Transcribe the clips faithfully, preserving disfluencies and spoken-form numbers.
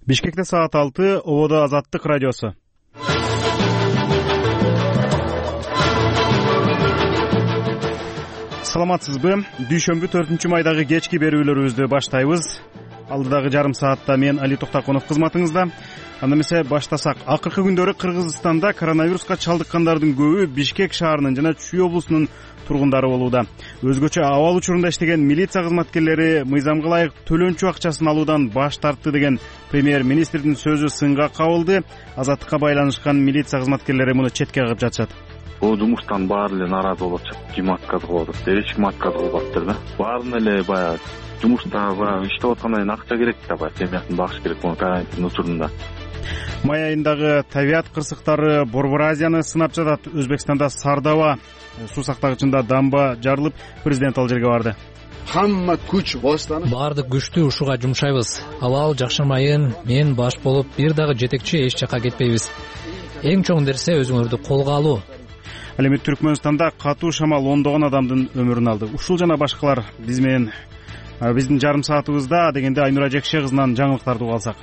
Бишкекте саат алты, Ободо Азаттык радиосу. Саламатсызбы? Дүйшөмбү төртүнчү майдагы кечки берүүлөрүбүздү баштайбыз. Алдыдагы жарым саатта мен Али Токтакунов кызматыңызда. Анда эмесе баштасак. Акыркы күндөрү Кыргызстанда коронавируска чалдыккандардын көбү Бишкек шаарынын жана Чүй облусунун тургундары болууда. Өзгөчө абал учурунда иштеген милиция кызматкерлери мыйзамга ылайык төлөнчү акчасын алуудан баш тартты деген премьер-министрдин сөзү сынга кабылды. Азаттыкка байланышкан милиция кызматкерлери муну четке кагып жатышат. Бул жумуштан баары эле нааразы болуп атышат. Ким отказ кылып атат? Эч ким отказ кылбаптыр да. Баарына эле баягы жумушта баягы иштеп аткандан кийин акча керек да, баягы семьясын багыш керек бул карантин учурунда. Май айындагы табият кырсыктары Борбор Азияны сынап жатат. Өзбекстанда Сардаба суу сактагычында дамба жарылып, президент ал жерге барды. Хамма күч бостаны. Баардык күчтү ушуга жумшайбыз. Абал жакшырмайын, мен баш болуп бир дагы жетекчи эч жака кетпейбиз. Эң чоң нерсе өзүңөрдү колго алуу. Ал эми Түркмөнстанда катуу шамал ондогон адамдын өмүрүн алды. Ушул жана башкалар биз менен биздин жарым саатыбызда дегенде Айнура Жекше кызынан жаңылыктарды уга алсак.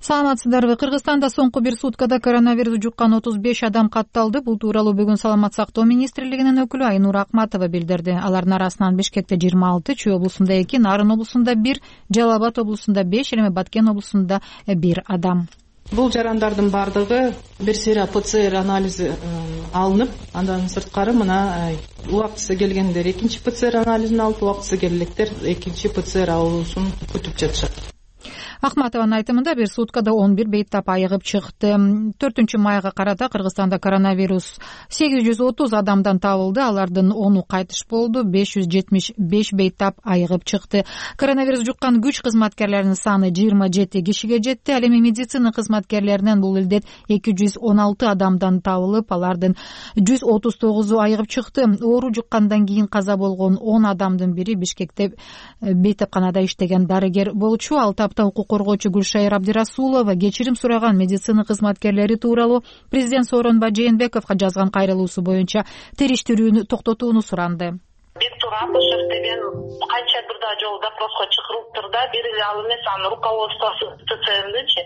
Саламатсыздарбы? Кыргызстанда соңку бир суткада коронавирус жуккан отуз беш адам катталды. Бул тууралуу бүгүн Саламат сактоо министрлигинин өкүлү Айнура Акматова билдирди. Алардын арасынан Бишкекте жыйырма алты, Чүй облусунда эки, Нарын облусунда бир, Жалал Абад облусунда беш, эми Баткен облусунда бир адам. Бул жарандардын баардыгы бир сыйра ПЦР анализи алынып, андан сырткары мына убактысы келгендер экинчи ПЦР анализин алып, убактысы келгендер экинчи ПЦР алуусун күтүп жатышат. Акматованын айтымында бир суткада он бир бейтап айыгып чыкты. төртүнчү майга карата Кыргызстанда коронавирус сегиз жүз отуз адамдан табылды. Алардын ону кайтыш болду. беш жүз жетимиш беш бейтап айыгып чыкты. Коронавирус жуккан күч кызматкерлеринин саны жыйырма жети кишиге жетти. Ал эми медицина кызматкерлеринен бул илдет эки жүз он алты адамдан табылып, алардын жүз отуз тогузу айыгып чыкты. Оору жуккандан кийин каза болгон он адамдын бири Бишкекте бейтапканада иштеген дарыгер болчу. Ал тапта укук коргоочу Гүлшайыр Абдирасулова кечирим сураган медицина кызматкерлери тууралуу президент Сооронбай Жээнбековго жазган кайрылуусу боюнча териштирүүнү токтотууну суранды. Бектур Апышев деген канча бир да жолу допроско чакырылыптыр да, бир эле ал эмес, анын руководствосу ТЦМдичи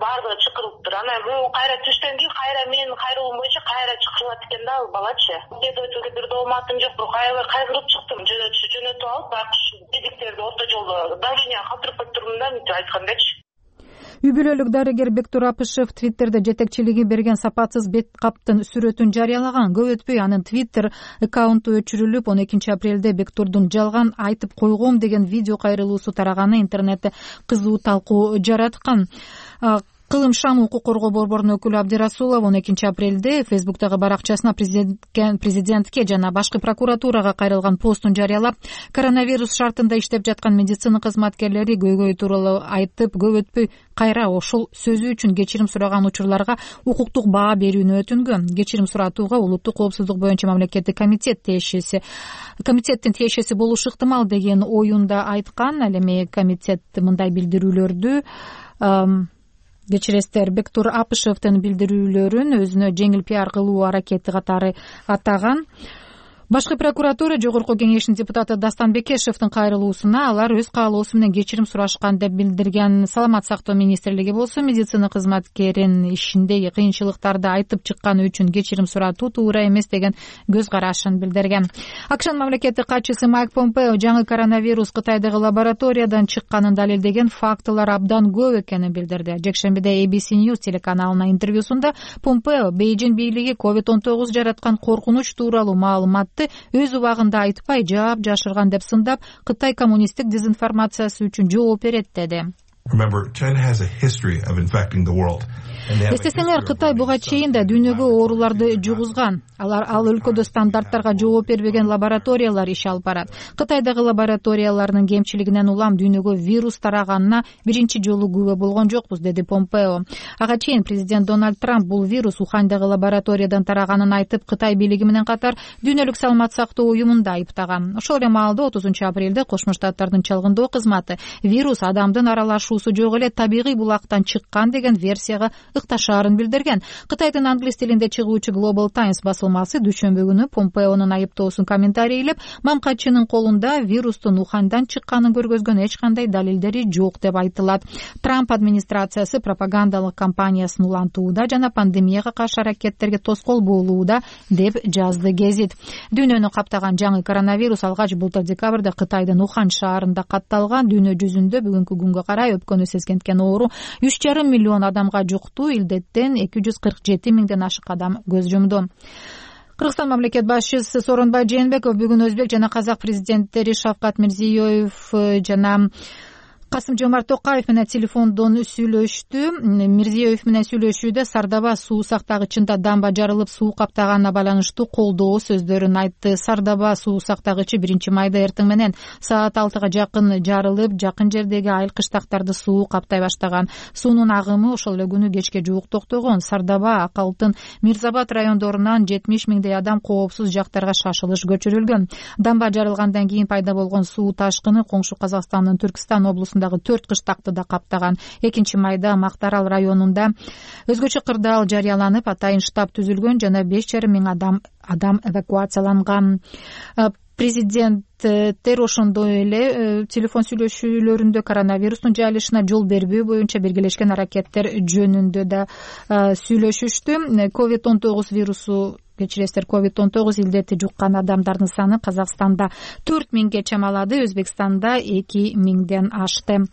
баардыгы чакырылыптыр. Анан бул кайра түштөн кийин кайра менин кайрылуум боюнча кайра чакырылат экен да ал балачы. Следовательге бир дооматым жок, бирок аябай кайгырып чыктым. Жөнөтүп алып, байкуш бедиктерди орто жолдо давление калтырып коюп турдум да, мынтип айткандачы. Үй бүлөлүк дарыгер Бектур Апышев Твиттерде жетекчилиги берген сапатсыз бет каптын сүрөтүн жарыялаган. Көп өтпөй анын Твиттер аккаунту өчүрүлүп, он экинчи апрелде Бектурдун жалган айтып койгом деген видео кайрылуусу тараганы интернетте кызуу талкуу жараткан. Кылым шам укук коргоо борборунун өкүлү Абдирасулов он экинчи апрелде Фейсбуктагы баракчасына президентке, президентке жана башкы прокуратурага кайрылган постун жарыялап, коронавирус шартында иштеп жаткан медицина кызматкерлери көйгөй тууралуу айтып, көп өтпөй кайра ошол сөзү үчүн кечирим сураган учурларга укуктук баа берүүнү өтүнгөн. Кечирим суратууга улуттук коопсуздук боюнча мамлекеттик комитет тиешеси комитеттин тиешеси болушу ыктымал деген оюнда айткан. Ал эми комитет мындай билдирүүлөрдү кечиресиздер, Бектур Апышевдин билдирүүлөрүн өзүнө жеңил пиар кылуу аракети катары атаган. Башкы прокуратура жогорку кеңешинин депутаты Дастан Бекешевдин кайрылуусуна алар өз каалоосу менен кечирим сурашкан деп билдирген. Саламат сактоо министрлиги болсо медицина кызматкерин ишинде кыйынчылыктарды айтып чыкканы үчүн кечирим суратуу туура эмес деген көз карашын билдирген. АКШнын мамлекеттик катчысы Майк Помпео жаңы коронавирус Кытайдагы лабораториядан чыкканын далилдеген фактылар абдан көп экенин билдирди. Жекшембиде A B C News телеканалына интервьюсунда Помпео Бейжин бийлиги ковид он тогуз жараткан коркунуч тууралуу маалыматты өз убагында айтпай жаап жашырган деп сындап, Кытай коммунисттик дезинформациясы үчүн жооп берет деди. Эстесеңер, Кытай буга чейин да дүйнөгө ооруларды жугузган. Алар ал өлкөдө стандарттарга жооп бербеген лабораториялар иш алып барат. Кытайдагы лабораториялардын кемчилигинен улам дүйнөгө вирус тараганына биринчи жолу күбө болгон жокпуз, деди Помпео. Ага чейин президент Дональд Трамп бул вирус Ухандагы лабораториядан тараганын айтып, Кытай бийлиги менен катар дүйнөлүк саламат сактоо уюмун да айыптаган. Ошол эле маалда отузунчу апрелде Кошмо Штаттардын чалгындоо кызматы вирус адамдын аралашуусу жок эле табигый булактан чыккан деген версияга ыкта шаарын билдирген. Кытайдын англис тилинде чыгуучу Global Times басылмасы дүйшөмбү күнү Помпеонун айыптоосун комментарийлеп, мамкачынын колунда вирустун Уханьдан чыкканын көргөзгөн эч кандай далилдери жок деп айтылат. Трамп администрациясы пропагандалык кампаниясын улантууда жана пандемияга каршы аракеттерге тоскоол болууда деп жазды гезит. Дүйнөнү каптаган жаңы коронавирус алгач былтыр декабрда Кытайдын Ухань шаарында катталган. Дүйнө жүзүндө бүгүнкү күнгө карай өпкөнү сескенткен оору үч жарым миллион адамга жукту. Илдеттен эки жүз кырк жети миңден ашык адам көз жумду. Кыргызстан мамлекет башчысы Сооронбай Жээнбеков бүгүн өзбек жана казак президенттери Шавкат Мирзиёев жана Касым-Жомарт Токаев менен телефондон сүйлөштү. Мирзиёев менен сүйлөшүүдө Сардаба суу сактагычында дамба жарылып, суу каптаганына байланыштуу колдоо сөздөрүн айтты. Сардаба суу сактагычы биринчи майда эртең менен саат алтыга жакын жарылып, жакын жердеги айыл кыштактарды суу каптай баштаган. Суунун агымы ошол эле күнү кечке жуук токтогон. Сардаба, Ак Алтын, Мирзабад райондорунан жетимиш миңдей адам коопсуз жактарга шашылыш көчүрүлгөн. Дамба жарылгандан кийин пайда болгон суу ташкыны коңшу Казакстандын Түркстан облусунда төрт кыштакты да каптаган. экинчи майда Мактарал районунда өзгөчө кырдаал жарыяланып, атайын штаб түзүлгөн жана беш жарым миң адам адам эвакуацияланган. Президенттер ошондой эле телефон сүйлөшүүлөрүндө коронавирустун жайылышына жол бербөө боюнча биргелешкен аракеттер жөнүндө да сүйлөшүштү. ковид он тогуз вирусу кечиресиздер, ковид он тогуз илдети жуккан адамдардын саны Казакстанда төрт миңге чамалады, Өзбекстанда эки миңден ашты.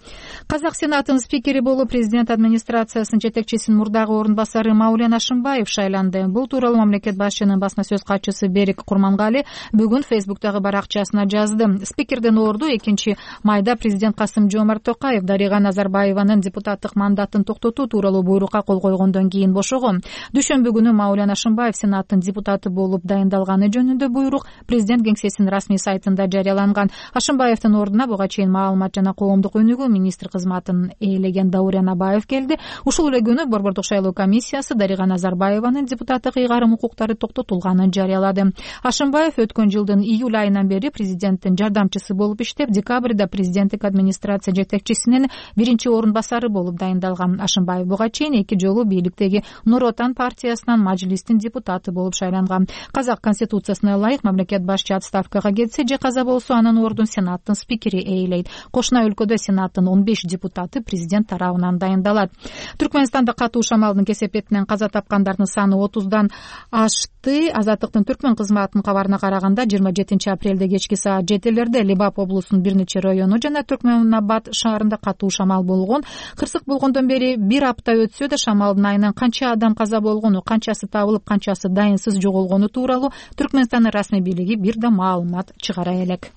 Казак Сенатынын спикери болуп президент администрациясынын жетекчисинин мурдагы орун басары Маулен Ашымбаев шайланды. Бул тууралуу мамлекет башчынын басма сөз катчысы Берик Курмангали бүгүн Фейсбуктагы баракчасына жазды. Спикердин орду экинчи майда президент Касым-Жомарт Токаев Дарига Назарбаеванын депутаттык мандатын токтотуу тууралуу буйрукка кол койгондон кийин бошогон. Дүйшөмбү күнү Маулен Ашымбаев Сенаттын депутаты болуп дайындалганы жөнүндө буйрук президент кеңсесинин расмий сайтында жарыяланган. Ашымбаевдин ордуна буга чейин маалымат жана коомдук өнүгүү министр кызматын ээлеген Даурен Абаев келди. Ушул эле күнү Борбордук шайлоо комиссиясы Дарига Назарбаеванын депутаттык ыйгарым укуктары токтотулганын жарыялады. Ашымбаев өткөн жылдын июль айынан бери президенттин жардамчысы болуп иштеп, декабрда президенттик администрация жетекчисинин биринчи орун басары болуп дайындалган. Ашымбаев буга чейин эки жолу бийликтеги Нур Отан партиясынан мажлистин депутаты болуп шайланган. Казак конституциясына ылайык мамлекет башчы отставкага кетсе же каза болсо, анын ордун Сенаттын спикери ээлейт. Кошуна өлкөдө Сенаттын он беш депутаты президент тарабынан дайындалат. Түркмөнстанда катуу шамалдын кесепетинен каза тапкандардын саны отуздан ашты. Азаттыктын Түркмөн кызматынын кабарына караганда жыйырма жетинчи апрелде кечки саат жетилерде Лебап облусунун бир нече району жана Түркмөнабад шаарында катуу шамал болгон. Кырсык болгондон бери бир апта өтсө да шамалдын айынан канча адам каза болгону, канчасы табылып, канчасы дайынсыз жоголгону тууралуу Түркмөнстандын расмий бийлиги бир да маалымат чыгара элек.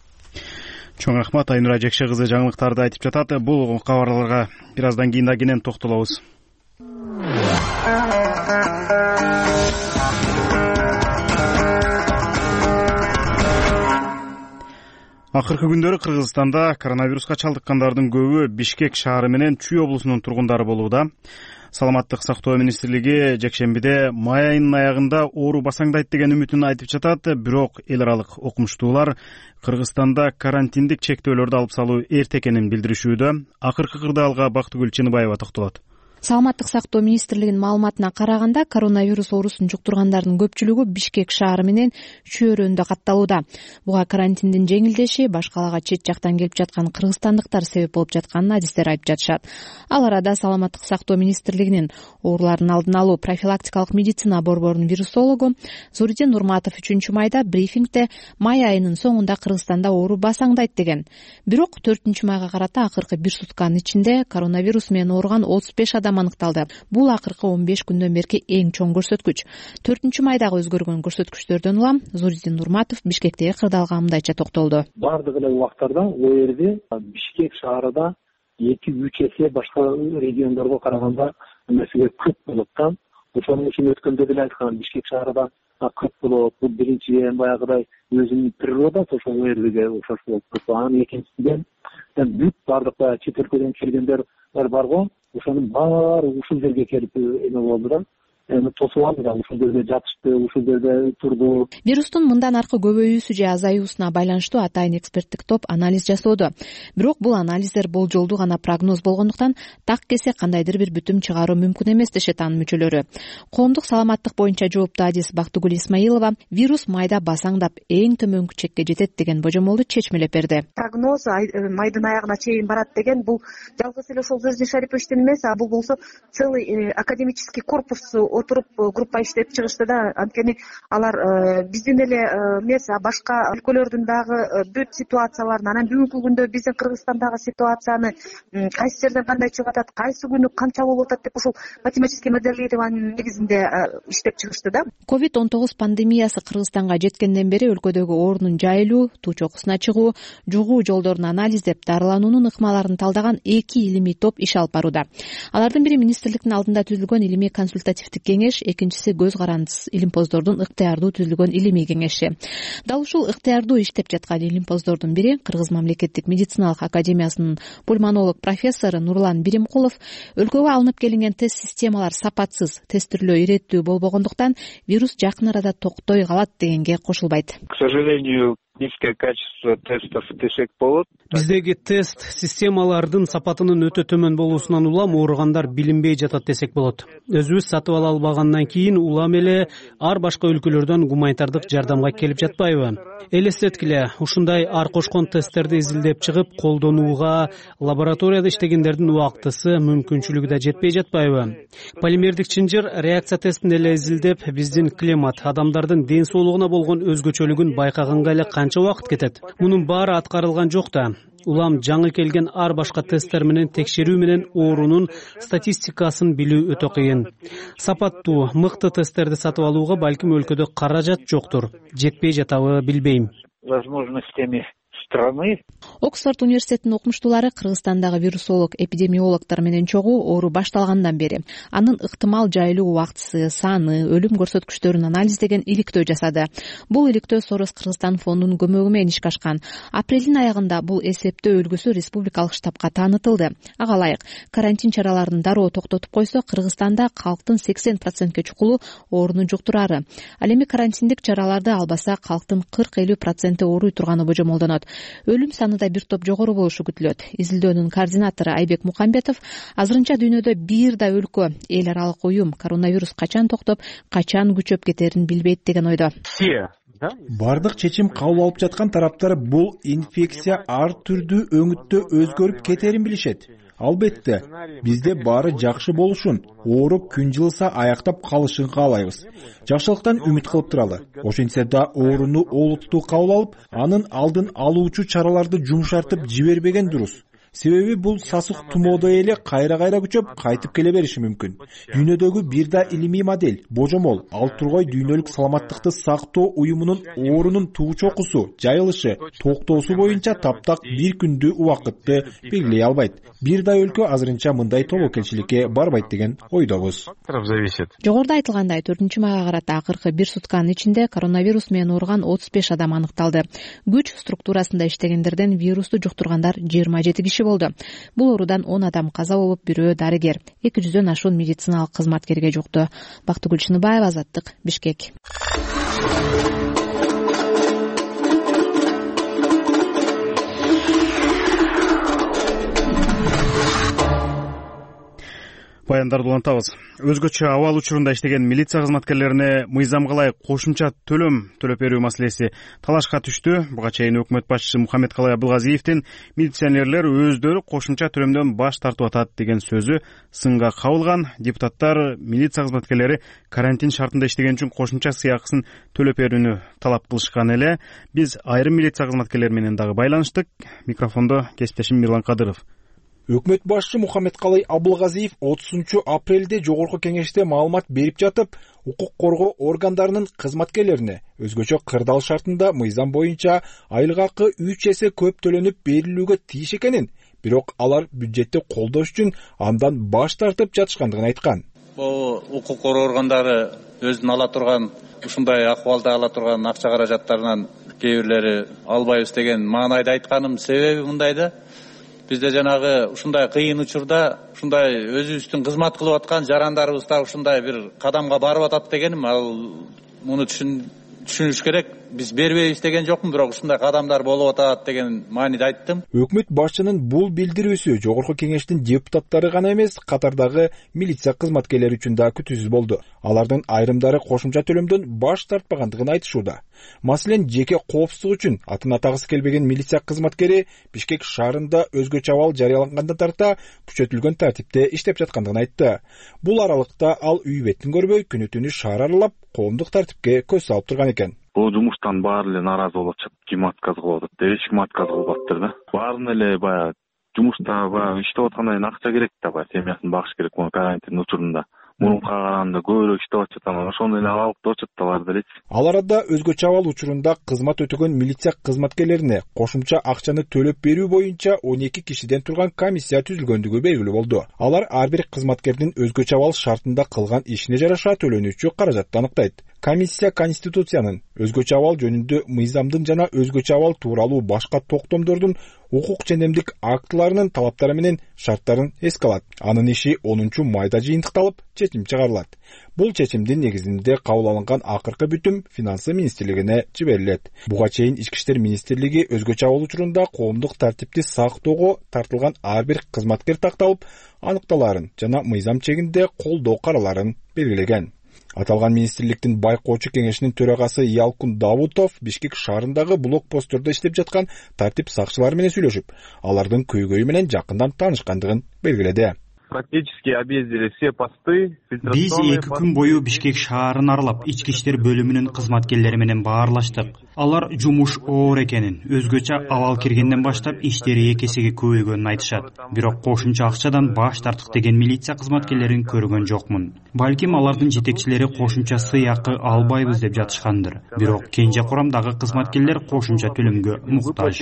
Чоң рахмат, Айнура Жекше кызы жаңылыктарды айтып жатат. Бул кабарларга бир аздан кийин да кенен токтолобуз. Акыркы күндөрү Кыргызстанда коронавируска чалдыккандардын көбү Бишкек шаары менен Чүй облусунун тургундары болууда. Саламаттык сактоо министрлиги жекшембиде май айынын аягында оору басаңдайт деген үмүтүн айтып жатат. Бирок эл аралык окумуштуулар Кыргызстанда карантиндик чектөөлөрдү алып салуу эрте экенин билдиришүүдө. Акыркы кырдаалга Бактыгүл Чыныбаева токтолот. Саламаттык сактоо министрлигинин маалыматына караганда, коронавирус оорусун жуктургандардын көпчүлүгү Бишкек шаары менен Чүй-өрөөнүндө катталууда. Буга карантиндин жеңилдеши, башкалага чет жактан келип жаткан кыргызстандыктар себеп болуп жатканын адистер айтып жатышат. Ал арада Саламаттык сактоо министрлигинин оорулардын алдын алуу профилактикалык медицина борборунун вирусологу Зуридин Нурматов үчүнчү майда брифингде май айынын соңунда Кыргызстанда оору басаңдайт деген. Бирок төртүнчү майга карата акыркы бир сутканын ичинде коронавирус менен ооруган отуз беш адам аныкталды. Бул акыркы он беш күндөн берки эң чоң көрсөткүч. төртүнчү майдагы өзгөргөн көрсөткүчтөрдөн улам Зуридин Нурматов Бишкектеги кырдаалга мындайча токтолду. Бардык эле убактарда ол жерде Бишкек шаарында эки үч эсе башка региондорго караганда эмесиге көп болот да. Ошонун үчүн өткөндө деле айткан, Бишкек шаарында көп болот. Бул биринчиден баягыдай өзүнүн природасы ошол жерге окшош болуп турат. Анан экинчиден бүт бардык чет өлкөдөн келгендер бар го. Ошонун баары ушул жерге келип эме болду да. эми тосуп алды да, ушул жерде жатышты, ушул жерде турду. Вирустун мындан аркы көбөйүүсү же азаюусуна байланыштуу атайын эксперттик топ анализ жасоодо. Бирок бул анализдер болжолдуу гана прогноз болгондуктан так кесе кандайдыр бир бүтүм чыгаруу мүмкүн эмес дешет анын мүчөлөрү. Коомдук саламаттык боюнча жооптуу адис Бактыгүл Исмаилова вирус майда басаңдап эң төмөнкү чекке жетет деген божомолду чечмелеп берди. Прогноз майдын аягына чейин барат деген бул жалгыз эле ошол Звездный Шариповичтин эмес, а бул болсо целый академический корпус отуруп группа иштеп чыгышты да. Анткени алар биздин эле эмес, башка өлкөлөрдүн дагы бүт ситуацияларын, анан бүгүнкү күндө биздин Кыргызстандагы ситуацияны кайсы жерден кандай чыгып атат, кайсы күнү канча болуп атат деп ушул математический моделированиянын негизинде иштеп чыгышты да. ковид он тогуз пандемиясы Кыргызстанга жеткенден бери өлкөдөгү оорунун жайылуу, туу чокусуна чыгуу, жугуу жолдорун анализдеп, дарылануунун ыкмаларын талдаган эки илимий топ иш алып барууда. Алардын бири министрликтин алдында түзүлгөн илимий консультативдик кеңеш, экинчиси көз карандысыз илимпоздордун ыктыярдуу түзүлгөн илимий кеңеши. Дал ушул ыктыярдуу иштеп жаткан илимпоздордун бири Кыргыз мамлекеттик медициналык академиясынын пульмонолог профессору Нурлан Биримкулов өлкөгө алынып келинген тест системалар сапатсыз, тестирлөө иреттүү болбогондуктан вирус жакын арада токтой калат дегенге кошулбайт. К сожалению, низкое качество тестов десек болот. Биздеги тест системалардын сапатынын өтө төмөн болуусунан улам ооругандар билинбей жатат десек болот. Өзүбүз сатып ала албагандан кийин улам эле ар башка өлкөлөрдөн гуманитардык жардамга келип жатпайбы? Элестеткиле, ушундай ар кошкон тесттерди изилдеп чыгып колдонууга лабораторияда иштегендердин убактысы, мүмкүнчүлүгү да жетпей жатпайбы? Полимердик чынжыр реакция тестин эле изилдеп, биздин климат, адамдардын ден соолугуна болгон өзгөчөлүгүн байкаганга эле канча убакыт кетет? Мунун баары аткарылган жок да. Улам жаңы келген ар башка тесттер менен текшерүү менен оорунун статистикасын билүү өтө кыйын. Сапаттуу, мыкты тесттерди сатып алууга балким өлкөдө каражат жоктур. Жетпей жатабы билбейм. Возможностями страны. Оксфорд университетинин окумуштуулары Кыргызстандагы вирусолог, эпидемиологдор менен чогуу оору башталгандан бери анын ыктымал жайылуу убактысы, саны, өлүм көрсөткүчтөрүн анализдеген иликтөө жасады. Бул иликтөө Сорос Кыргызстан фондунун көмөгү менен ишке ашкан. Апрелдин аягында бул эсептөө үлгүсү республикалык штабка таанытылды. Ага ылайык, карантин чараларын дароо токтотуп койсо, Кыргызстанда калктын сексен процентке чукулу ооруну жуктурары. Ал эми карантиндик чараларды албаса, калктын кырк элүү проценти ооруй турганы божомолдонот. Өлүм саны да бир топ жогору болушу күтүлөт. Изилдөөнүн координатору Айбек Мукамбетов азырынча дүйнөдө бир да өлкө, эл аралык уюм коронавирус качан токтоп, качан күчөп кетерин билбейт деген ойдо. Бардык чечим кабыл алып жаткан тараптар бул инфекция ар түрдүү өңүттө өзгөрүп кетерин билишет. Албетте, бизде баары жакшы болушун, ооруп күн жылыса аяктап калышын каалайбыз. Жакшылыктан үмүт кылып туралы. Ошентсе да ооруну олуттуу кабыл алып, анын алдын алуучу чараларды жумшартып жибербеген дурус. Себеби бул сасык тумоодой эле кайра-кайра күчөп, кайтып келе бериши мүмкүн. Дүйнөдөгү бир да илимий модель, божомол, ал тургай дүйнөлүк саламаттыкты сактоо уюмунун оорунун туу чокусу, жайылышы, токтоосу боюнча таптак бир күндүү убакытты белгилей албайт. Бир да өлкө азырынча мындай тобокелчиликке барбайт деген ойдобуз. Жогоруда айтылгандай, төртүнчү майга карата акыркы бир сутканын ичинде коронавирус менен ооруган отуз беш адам аныкталды. Күч структурасында иштегендерден вирусту жуктургандар жыйырма жети киши болду. Бул оорудан он адам каза болуп, бирөө дарыгер, эки жүздөн ашуун медициналык кызматкерге жукту. Бактыгүл Чыныбаева, Азаттык, Бишкек. Баяндарды улантабыз. Өзгөчө абал учурунда иштеген милиция кызматкерлерине мыйзамга ылайык кошумча төлөм төлөп берүү маселеси талашка түштү. Буга чейин өкмөт башчысы Мухаммедкалый Абылгазиевдин милиционерлер өздөрү кошумча төлөмдөн баш тартып атат деген сөзү сынга кабылган. Депутаттар милиция кызматкерлери карантин шартында иштеген үчүн кошумча сыйакысын төлөп берүүнү талап кылышкан эле. Биз айрым милиция кызматкерлери менен дагы байланыштык. Микрофондо кесиптешим Мирлан Кадыров. Өкмөт башчы Мухаммедкалый Абылгазиев отузунчу апрелде жогорку кеңеште маалымат берип жатып, укук коргоо органдарынын кызматкерлерине өзгөчө кырдаал шартында мыйзам боюнча айлык акы үч эсе көп төлөнүп берилүүгө тийиш экенин, бирок алар бюджетти колдош үчүн андан баш тартып жатышкандыгын айткан. Бул укук коргоо органдары өзүнүн ала турган, ушундай акыбалда ала турган акча каражаттарынан кээ бирлери албайбыз деген маанайда айтканымдын себеби мындайда. бизде жанагы ушундай кыйын учурда ушундай өзүбүздүн кызмат кылып аткан жарандарыбыз дагы ушундай бир кадамга барып атат дегеним, ал муну түшүнүш керек. Биз бербейбиз деген жокмун, бирок ушундай кадамдар болуп атат деген мааниде айттым. Өкмөт башчынын бул билдирүүсү жогорку кеңештин депутаттары гана эмес, катардагы милиция кызматкерлери үчүн да күтүүсүз болду. Алардын айрымдары кошумча төлөмдөн баш тартпагандыгын айтышууда. Маселен, жеке коопсуздук үчүн атын атагысы келбеген милиция кызматкери Бишкек шаарында өзгөчө абал жарыялангандан тарта күчөтүлгөн тартипте иштеп жаткандыгын айтты. Бул аралыкта ал үй бетин көрбөй, күнү түнү шаар аралап, коомдук тартипке көз салып турган экен. Бул жумуштан баары эле нааразы болуп атышат. Ким отказ кылып атат? Эч ким отказ кылбаптыр да. Баарына эле баягы жумушта баягы иштеп аткандан кийин акча керек да, баягы семьясын багыш керек муну карантин учурунда. Мурунка караганда көбүрөөк иштеп атышат, анан ошондой эле абалыкта отурат да баары делечи. Ал арада өзгөчө абал учурунда кызмат өтөгөн милиция кызматкерлерине кошумча акчаны төлөп берүү боюнча он эки кишиден турган комиссия түзүлгөндүгү белгилүү болду. Алар ар бир кызматкердин өзгөчө абал шартында кылган ишине жараша төлөнүүчү каражатты аныктайт. Комиссия Конституциянын өзгөчө абал жөнүндө мыйзамдын жана өзгөчө абал тууралуу башка токтомдордун укук жендемдик актыларынын талаптары менен шарттарын эске алат. Анын иши онунчу майда жыйынтыкталып, чечим чыгарылат. Бул чечимдин негизинде кабыл алынган акыркы бүтүм Финансы министрлигине жиберилет. Буга чейин Ички иштер министрлиги өзгөчө абал учурунда коомдук тартипти сактоого тартылган ар бир кызматкер такталып, аныкталарын жана мыйзам чегинде колдоо караларын белгилеген. Аталган министрликтин байкоочу кеңешинин төрагасы Ялкун Давутов Бишкек шаарындагы блокпосттордо иштеп жаткан тартип сакчылары менен сүйлөшүп, алардын көйгөйү менен жакындан таанышкандыгын белгиледи. Практически объездили все посты. Биз эки күн бою Бишкек шаарын аралап, ички иштер бөлүмүнүн кызматкерлери менен баарлаштык. Алар жумуш оор экенин, өзгөчө абал киргенден баштап иштери эки эсеге көбөйгөнүн айтышат. Бирок кошумча акчадан баш тарттык деген милиция кызматкерлерин көргөн жокмун. Балким алардын жетекчилери кошумча сыйакы албайбыз деп жатышкандыр. Бирок кенже курамдагы кызматкерлер кошумча төлөмгө муктаж.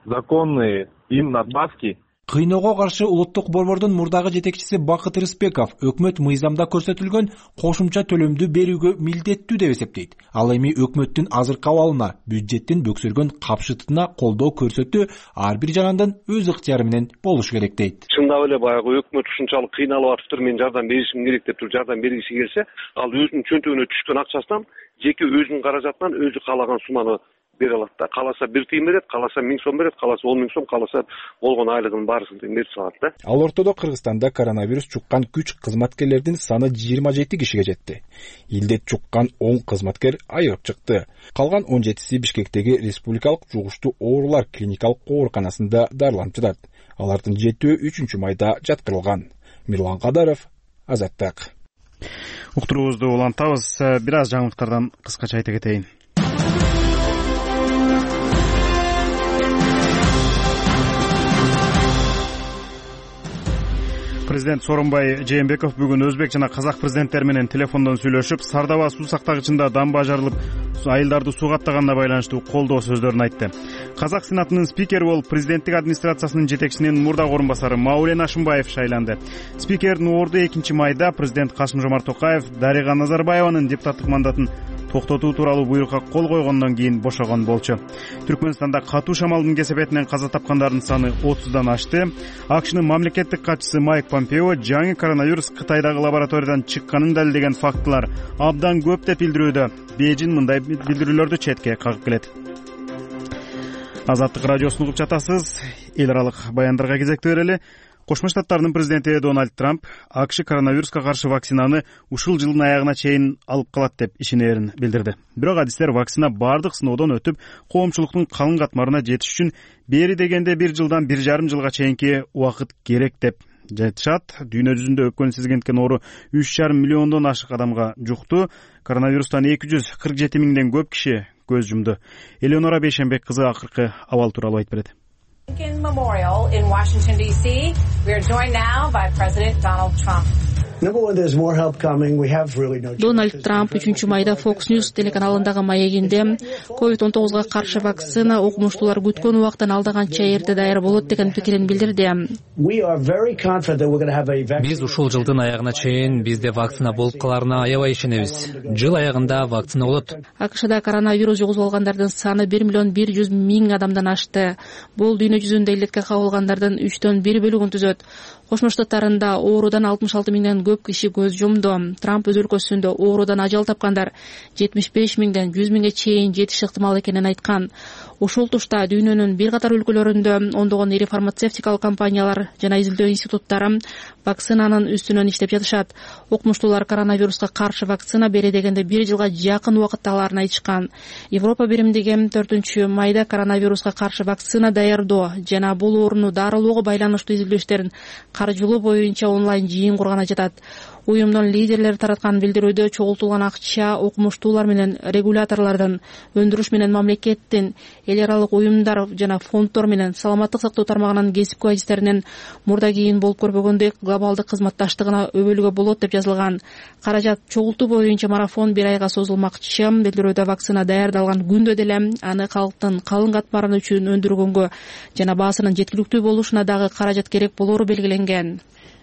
Законные им надбавки. Кыйноого каршы улуттук борбордун мурдагы жетекчиси Бакыт Рыспеков өкмөт мыйзамда көрсөтүлгөн кошумча төлөмдү берүүгө милдеттүү деп эсептейт. Ал эми өкмөттүн азыркы абалына, бюджеттин бөксөргөн капшытына колдоо көрсөтүү ар бир жарандын өз ыктыяры менен болушу керек дейт. Чындап эле баягы өкмөт ушунчалык кыйналып атыптыр, мен жардам беришим керек деп туруп жардам бергиси келсе, ал өзүнүн чөнтөгүнө түшкөн акчасынан жеке өзүнүн каражатынан өзү каалаган сумманы бере алат да. Кааласа бир тыйын берет, кааласа миң сом берет, кааласа он миң сом, кааласа болгон айлыгынын баарысын берип салат да. Ал ортодо Кыргызстанда коронавирус чуккан күч кызматкерлердин саны жыйырма жети кишиге жетти. Илдет чуккан он кызматкер айыгып чыкты. Калган он жетиси Бишкектеги республикалык жугуштуу оорулар клиникалык ооруканасында дарыланып жатат. Алардын жетөө үчүнчү майда жаткырылган. Мирлан Кадаров, Азаттык. Уктуруубузду улантабыз. Бир аз жаңылыктардан кыскача айта кетейин. Президент Сооронбай Жээнбеков бүгүн өзбек жана казак президенттери менен телефондон сүйлөшүп, Сардаба суу сактагычында дамба жарылып, айылдарды сууга аттаганына байланыштуу колдоо сөздөрүн айтты. Казак сенатынын спикери болуп президенттик администрациясынын жетекчисинин мурдагы орун басары Маулен Ашымбаев шайланды. Спикердин орду экинчи майда президент Касым-Жомарт Токаев Дарига Назарбаеванын депутаттык мандатын токтотуу тууралуу буйрукка кол койгондон кийин бошогон болчу. Түркмөнстанда катуу шамалдын кесепетинен каза тапкандардын саны отуздан ашты. АКШнын мамлекеттик катчысы Майк Помпео жаңы коронавирус Кытайдагы лабораториядан чыкканын далилдеген фактылар абдан көп деп билдирүүдө. Бейжин мындай билдирүүлөрдү четке кагып келет. Азаттык радиосун угуп жатасыз. Эл аралык баяндарга кезекти берели. Кошмо Штаттардын президенти Дональд Трамп АКШ коронавируска каршы вакцинаны ушул жылдын аягына чейин алып калат деп ишенерин билдирди. Бирок адистер вакцина бардык сыноодон өтүп, коомчулуктун калың катмарына жетиш үчүн бери дегенде бир жылдан бир жарым жылга чейинки убакыт керек деп жатышат. Дүйнө жүзүндө өпкөнү сезгенткен оору үч жарым миллиондон ашык адамга жукту. Коронавирустан эки жүз кырк жети миңден көп киши көз жумду. Элеонора Бейшенбек кызы акыркы абал тууралуу айтып берет. Memorial in Washington, D C We are joined now by President Donald Trump. Дональд Трамп үчүнчү майда Fox News телеканалындагы маегинде ковид он тогузга каршы вакцина окумуштуулар күткөн убактан алдыганча эрте даяр болот деген пикирин билдирди. Биз ушул жылдын аягына чейин бизде вакцина болуп каларына аябай ишенебиз. Жыл аягында вакцина болот. АКШда коронавирус жугузуп алгандардын саны бир миллион бир жүз миң адамдан ашты. Бул дүйнө жүзүндө илдетке кабылгандардын үчтөн бир бөлүгүн түзөт. Кошмо Штаттарында оорудан алтымыш алты миңден көп киши көз жумду. Трамп өз өлкөсүндө оорудан ажал тапкандар жетимиш беш миңден жүз миңге чейин жетиши ыктымал экенин айткан. Ушул тушта дүйнөнүн бир катар өлкөлөрүндө ондогон ири фармацевтикалык компаниялар жана изилдөө институттары вакцинанын үстүнөн иштеп жатышат. Окумуштуулар коронавируска каршы вакцина бере дегенде бир жылга жакын убакыт аларын айтышкан. Европа биримдиги төртүнчү майда коронавируска каршы вакцина даярдоо жана бул ооруну дарылоого байланыштуу изилдөө иштерин каржылоо боюнча онлайн жыйын курганы жатат. Уюмдун лидерлери тараткан билдирүүдө чогултулган акча окумуштуулар менен регуляторлордун, өндүрүш менен мамлекеттин, эл аралык уюмдар жана фонддор менен саламаттык сактоо тармагынын кесип куайстеринен мурда кийин болуп көрбөгөндөй глобалдык кызматташтыгына өбөлгө болот деп жазылган. Каражат чогултуу боюнча марафон бир айга созулмакчы. Билдирүүдө вакцина даярдалган күндө деле аны калктын калың катмары үчүн өндүргөнгө жана баасынын жеткиликтүү болушуна дагы каражат керек болору белгиленген.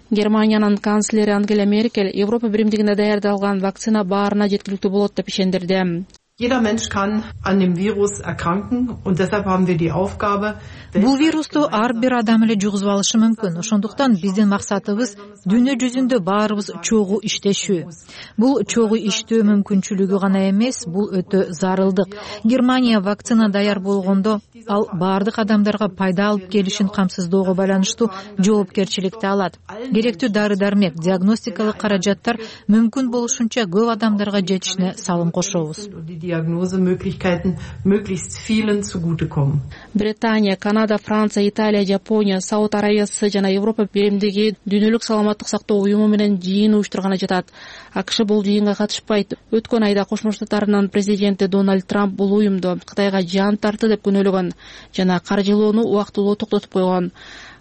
Германиянын канцлери Ангела Меркель Европа биримдигинде даярдалган вакцина баарына жеткиликтүү болот деп ишендирди. Jeder Mensch kann an dem Virus erkranken und deshalb haben wir die Aufgabe. Бул вирусту ар бир адам эле жугузуп алышы мүмкүн. Ошондуктан биздин максатыбыз дүйнө жүзүндө баарыбыз чогуу иштешүү. Бул чогуу иштөө мүмкүнчүлүгү гана эмес, бул өтө зарылдык. Германия вакцина даяр болгондо ал баардык адамдарга пайда алып келишин камсыздоого байланыштуу жоопкерчиликти алат. Керектүү дары-дармек, диагностикалык каражаттар мүмкүн болушунча көп адамдарга жетишине салым кошобуз. Diagnosemöglichkeiten möglichst vielen zugutekommen. Британия, Канада, Франция, Италия, Жапония, Сауд Арабиясы жана Европа биримдиги дүйнөлүк саламаттык сактоо уюму менен жыйын уюштурганы жатат. АКШ бул жыйынга катышпайт. Өткөн айда Кошмо Штаттарынын президенти Дональд Трамп бул уюмду Кытайга жан тартты деп күнөөлөгөн жана каржылоону убактылуу токтотуп койгон.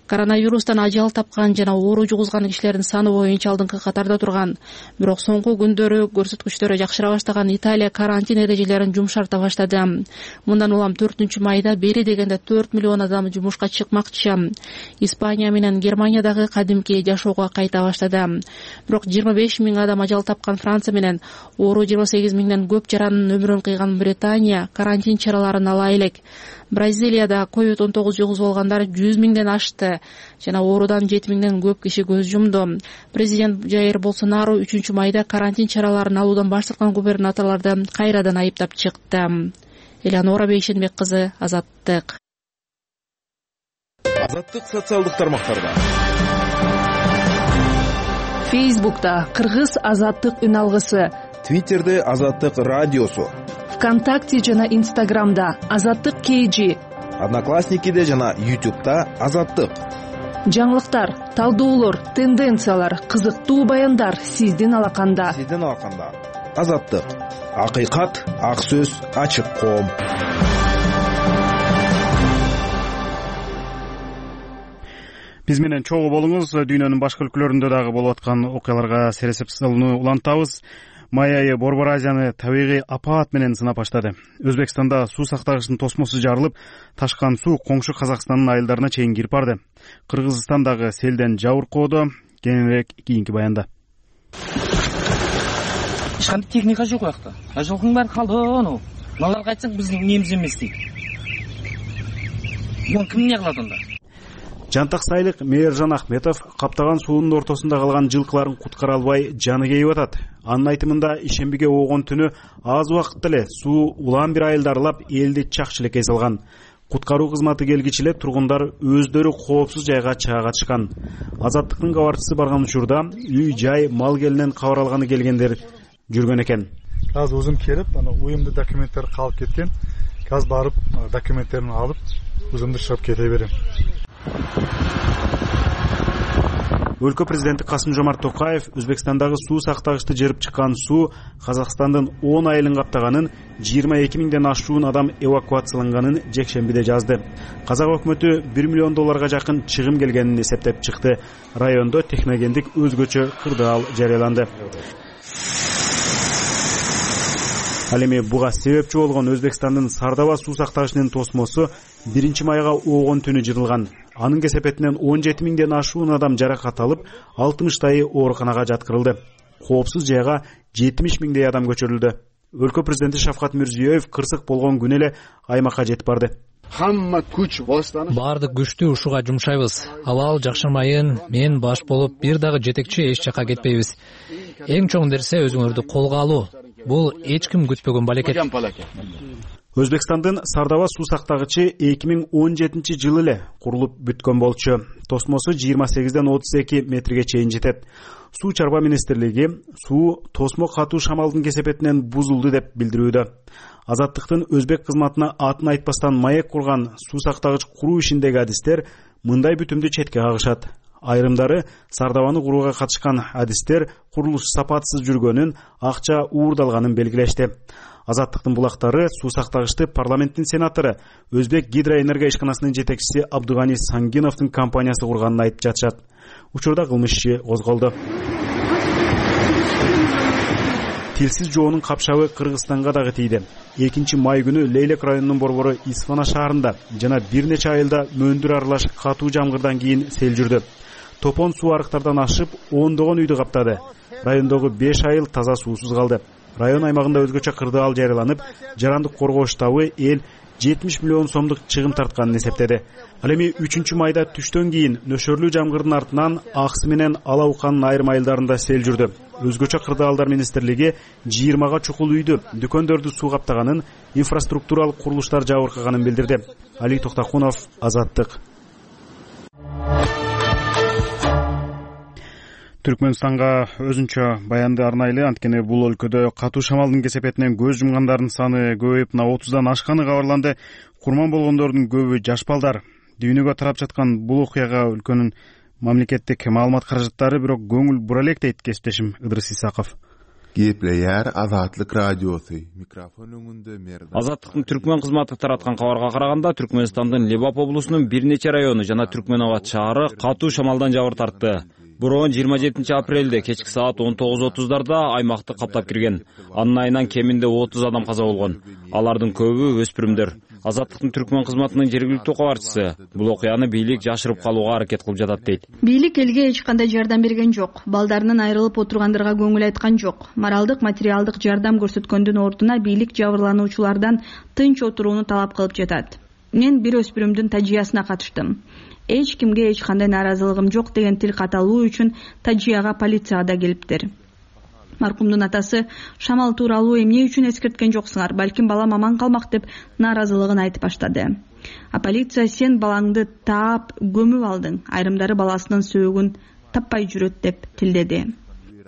Коронавирустан ажал тапкан жана оору жугузган кишилердин саны боюнча алдыңкы катарда турган. Бирок соңку күндөрү көрсөткүчтөрү жакшыра баштаган Италия карантин эрежелерин жумшарта баштады. Мындан улам төртүнчү майда бери дегенде төрт миллион адам жумушка чыкмакчы. Испания менен Германия дагы кадимки жашоого кайта баштады. Бирок жыйырма беш миң адам ажал тапкан Франция менен оору жыйырма сегиз миңден көп жаранын өмүрүн кыйган Британия карантин чараларын ала элек. Бразилияда ковид он тогуз жугузуп алгандар жүз миңден ашты жана оорудан жети миңден көп киши көз жумду. Президент Жаир Болсонару үчүнчү майда карантин чараларын алуудан баш тарткан губернаторлорду кайрадан айыптап чыкты. Элеонора Бейшенбек кызы, Азаттык. Азаттык социалдык тармактарда. Фейсбукта Кыргыз Азаттык үн алгысы, Твиттерде Азаттык радиосу, ВКонтакте жана Инстаграмда Азаттык кейжи, Одноклассникиде жана Ютубта Азаттык. Жаңылыктар, талдоолор, тенденциялар, кызыктуу баяндар сиздин алаканда. Сиздин алаканда. Азаттык. Акыйкат, ак сөз, ачык коом. Биз менен чогуу болуңуз. Дүйнөнүн башка өлкөлөрүндө дагы болуп аткан окуяларга сересеп салууну улантабыз. Май айы Борбор Азияны табигый апаат менен сынап баштады. Өзбекстанда суу сактагычтын тосмосу жарылып, ташкан суу коңшу Казакстандын айылдарына чейин кирип барды. Кыргызстандагы селден жабыркоодо кененирээк кийинки баянда. Эч кандай техника жок уякта. Жылкынын баары калды. Мыналарга айтсаң биздин немиз эмес дейт. Муну ким эмне кылат анда? Жантаксайлык Мээржан Ахметов каптаган суунун ортосунда калган жылкыларын куткара албай жаны кейип атат. Анын айтымында ишембиге оогон түнү аз убакытта эле суу улам бир айылды аралап элди чак чилекей салган. Куткаруу кызматы келгичи эле тургундар өздөрү коопсуз жайга чыга катышкан. Азаттыктын кабарчысы барган учурда үй жай мал келинен кабар алганы келгендер жүргөн экен. Азыр өзүм келип, ана уюмда документтер калып кеткен. Азыр барып документтерин алып, өзүмдү чыгып кете берем. Өлкө президенти Касым Жомарт Токаев Өзбекстандагы суу сактагычты жырып чыккан суу Казакстандын он айылын каптаганын, жыйырма эки миңден ашуун адам эвакуацияланганын жекшембиде жазды. Казак өкмөтү бир миллион долларга жакын чыгым келгенин эсептеп чыкты. Райондо техногендик өзгөчө кырдаал жарыяланды. Ал эми буга себепчи болгон Өзбекстандын Сардаба суу сактагычынын тосмосу биринчи майга оогон түнү жырылган. Анын кесепетинен он жети миңден ашуун адам жаракат алып, алтымыштайы ооруканага жаткырылды. Коопсуз жайга жетимиш миңдей адам көчүрүлдү. Өлкө президенти Шавкат Мирзиёев кырсык болгон күнү эле аймакка жетип барды. Хамма күч бостаны баардык күчтү ушуга жумшайбыз. Абал жакшырмайын, мен баш болуп бир дагы жетекчи эч жака кетпейбиз. Эң чоң нерсе өзүңөрдү колго алуу. Бул эч ким күтпөгөн балекет. Өзбекстандын Сардаба суу сактагычы эки миң он жетинчи жылы эле курулуп бүткөн болчу. Тосмосу жыйырма сегизден отуз эки метрге чейин жетет. Суу чарба министрлиги суу тосмо катуу шамалдын кесепетинен бузулду деп билдирүүдө. Азаттыктын өзбек кызматына атын айтпастан маек курган суу сактагыч куруу ишиндеги адистер мындай бүтүмдү четке кагышат. Айрымдары Сардабаны курууга катышкан адистер курулуш сапатсыз жүргөнүн, акча уурдалганын белгилешти. Азаттыктын булактары суу сактагычты парламенттин сенатору, Өзбек гидроэнергия ишканасынын жетекчиси Абдугани Сангиновдун компаниясы курганын айтып жатышат. Учурда кылмыш иши козголду. Тилсиз жоонун капшабы Кыргызстанга дагы тийди. экинчи май күнү Лейлек районунун борбору Исфана шаарында жана бир нече айылда мөндүр аралаш катуу жамгырдан кийин сел жүрдү. Топон суу арыктардан ашып, ондогон үйдү каптады. Райондогу беш айыл таза суусуз калды. Район аймагында өзгөчө кырдаал жарыяланып, жарандык коргоо штабы эл жетимиш миллион сомдук чыгым тартканын эсептеди. Ал эми үчүнчү майда түштөн кийин нөшөрлүү жамгырдын артынан Аксы менен Ала Уканын айрым айылдарында сел жүрдү. Өзгөчө кырдаалдар министрлиги жыйырмага чукул үйдү, дүкөндөрдү суу каптаганын, инфраструктуралык курулуштар жабыркаганын билдирди. Али Токтакунов, Азаттык. Түркмөнстанга өзүнчө баянды арнайлы, анткени бул өлкөдө катуу шамалдын кесепетинен көз жумгандардын саны көбөйүп отуздан ашканы кабарланды. Курман болгондордун көбү жаш балдар. Дүйнөгө тарап жаткан бул окуяга өлкөнүн мамлекеттик маалымат каражаттары бирок көңүл бура элек дейт кесиптешим Ыдырыс Исаков. Кепleyer Азаттык радиосу микрофон өңүндө мерди. Азаттыктын Түркмөн кызматы тараткан кабарга караганда, Түркмөнстандын Лебап облусунун бир нече району жана Түркмөнабад шаары катуу шамалдан жабыр тартты. Бирок жыйырма жетинчи апрелде кечки саат он тогуз отуздарда аймакты каптап кирген. Анын айынан кеминде отуз адам каза болгон. Алардын көбү өспүрүмдөр. Азаттыктын Түркмөн кызматынын жергиликтүү кабарчысы бул окуяны бийлик жашырып калууга аракет кылып жатат дейт. Бийлик элге эч кандай жардам берген жок. Балдарынан айрылып отургандарга көңүл айткан жок. Моралдык, материалдык жардам көрсөткөндүн ордуна бийлик жабырлануучулардан тынч отурууну талап кылып жатат. Мен бир өспүрүмдүн тажыясына катыштым. Эч кимге эч кандай нааразылыгым жок деген тил каталуу үчүн тажыяга полиция да келиптир. Маркумдун атасы шамал тууралуу эмне үчүн эскерткен жоксуңар, балким балам аман калмак деп нааразылыгын айтып баштады. А полиция сен балаңды таап көмүп алдың, айрымдары баласынын сөөгүн таппай жүрөт деп тилдеди.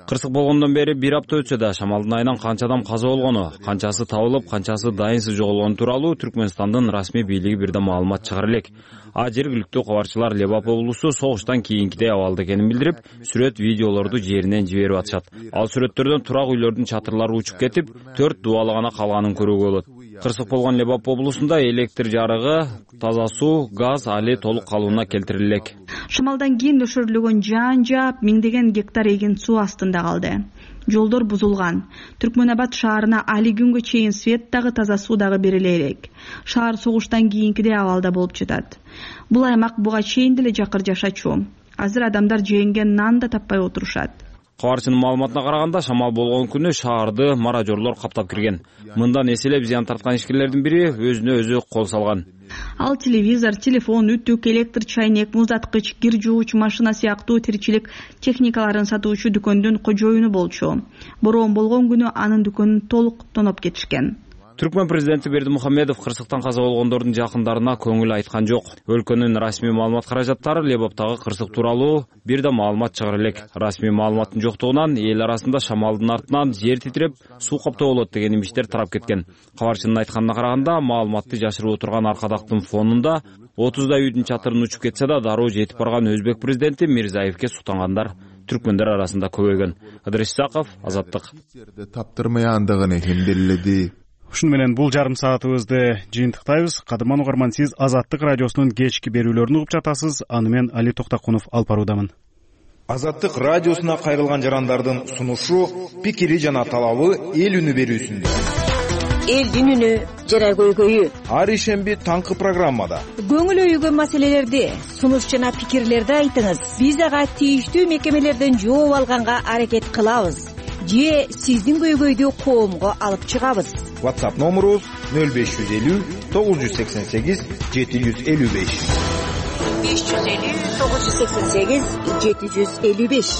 Кырсык болгондон бери бир апта өтсө да шамалдын айынан канча адам каза болгону, канчасы табылып, канчасы дайынсыз жоголгону тууралуу Түркмөнстандын расмий бийлиги бирде маалымат чыгара элек. А жергиликтүү кабарчылар Лебап облусу согуштан кийинкидей абалда экенин билдирип, сүрөт, видеолорду жеринен жиберип атышат. Ал сүрөттөрдөн турак үйлөрдүн чатырлары учуп кетип, төрт дубалы гана калганын көрүүгө болот. Кырсык болгон Лебап облусунда электр жарыгы, таза суу, газ али толук калууна келтириле элек. Шамалдан кийин өшөрүлгөн жаан жаап, миңдеген гектар эгин суу астында калды. Жолдор бузулган. Түркмөнабад шаарына али күнгө чейин свет дагы таза суу дагы бериле элек. Шаар согуштан кийинкидей абалда болуп жатат. Бул аймак буга чейин деле жакыр жашачу. Азыр адамдар жеңген нан да таппай отурушат. Кабарчынын маалыматына караганда, шамал болгон күнү шаарды маражорлор каптап кирген. Мындан эселеп зыян тарткан ишкерлердин бири өзүнө өзү кол салган. Ал телевизор, телефон, үтүк, электр чайнек, муздаткыч, кир жууч машина сыяктуу тирчилик техникаларын сатуучу дүкөндүн кожоюну болчу. Бороон болгон күнү анын дүкөнүн толук тоноп кетишкен. Түркмөн президенти Бердимухамедов кырсыктан каза болгондордун жакындарына көңүл айткан жок. Өлкөнүн расмий маалымат каражаттары Лебаптагы кырсык тууралуу бир да маалымат чыгара элек. Расмий маалыматтын жоктугунан эл арасында шамалдын артынан жер титиреп, суу каптоо болот деген имиштер тарап кеткен. Кабарчынын айтканына караганда, маалыматты жашырып отурган аркадактын фонунда отуздай үйдүн чатырын учуп кетсе да дароо жетип барган өзбек президенти Мирзиевке суктангандар түркмөндөр арасында көбөйгөн. Ыдырыс Исаков, Азаттык. Таптырмаяндыгын экен делиледи. Ушуну менен бул жарым саатыбызды жыйынтыктайбыз. Кадырман угарман, сиз Азаттык радиосунун кечки берүүлөрүн угуп жатасыз. Аны мен Али Токтокунов алып баруудамын. Азаттык радиосуна кайрылган жарандардын сунушу, пикири жана талабы эл үнү берүүсүндө. Элдин үнү жара көйгөйү. Ар ишемби таңкы программада көңүл өйгөн маселелерди, сунуш жана пикирлерди айтыңыз. Биз ага тийиштүү мекемелерден жооп алганга аракет кылабыз. Же сиздин көйгөйдү коомго алып чыгабыз. WhatsApp номерубуз нөл беш жүз элүү тогуз жүз сексен сегиз жети жүз элүү беш. беш жүз элүү тогуз жүз сексен сегиз жети жүз элүү беш.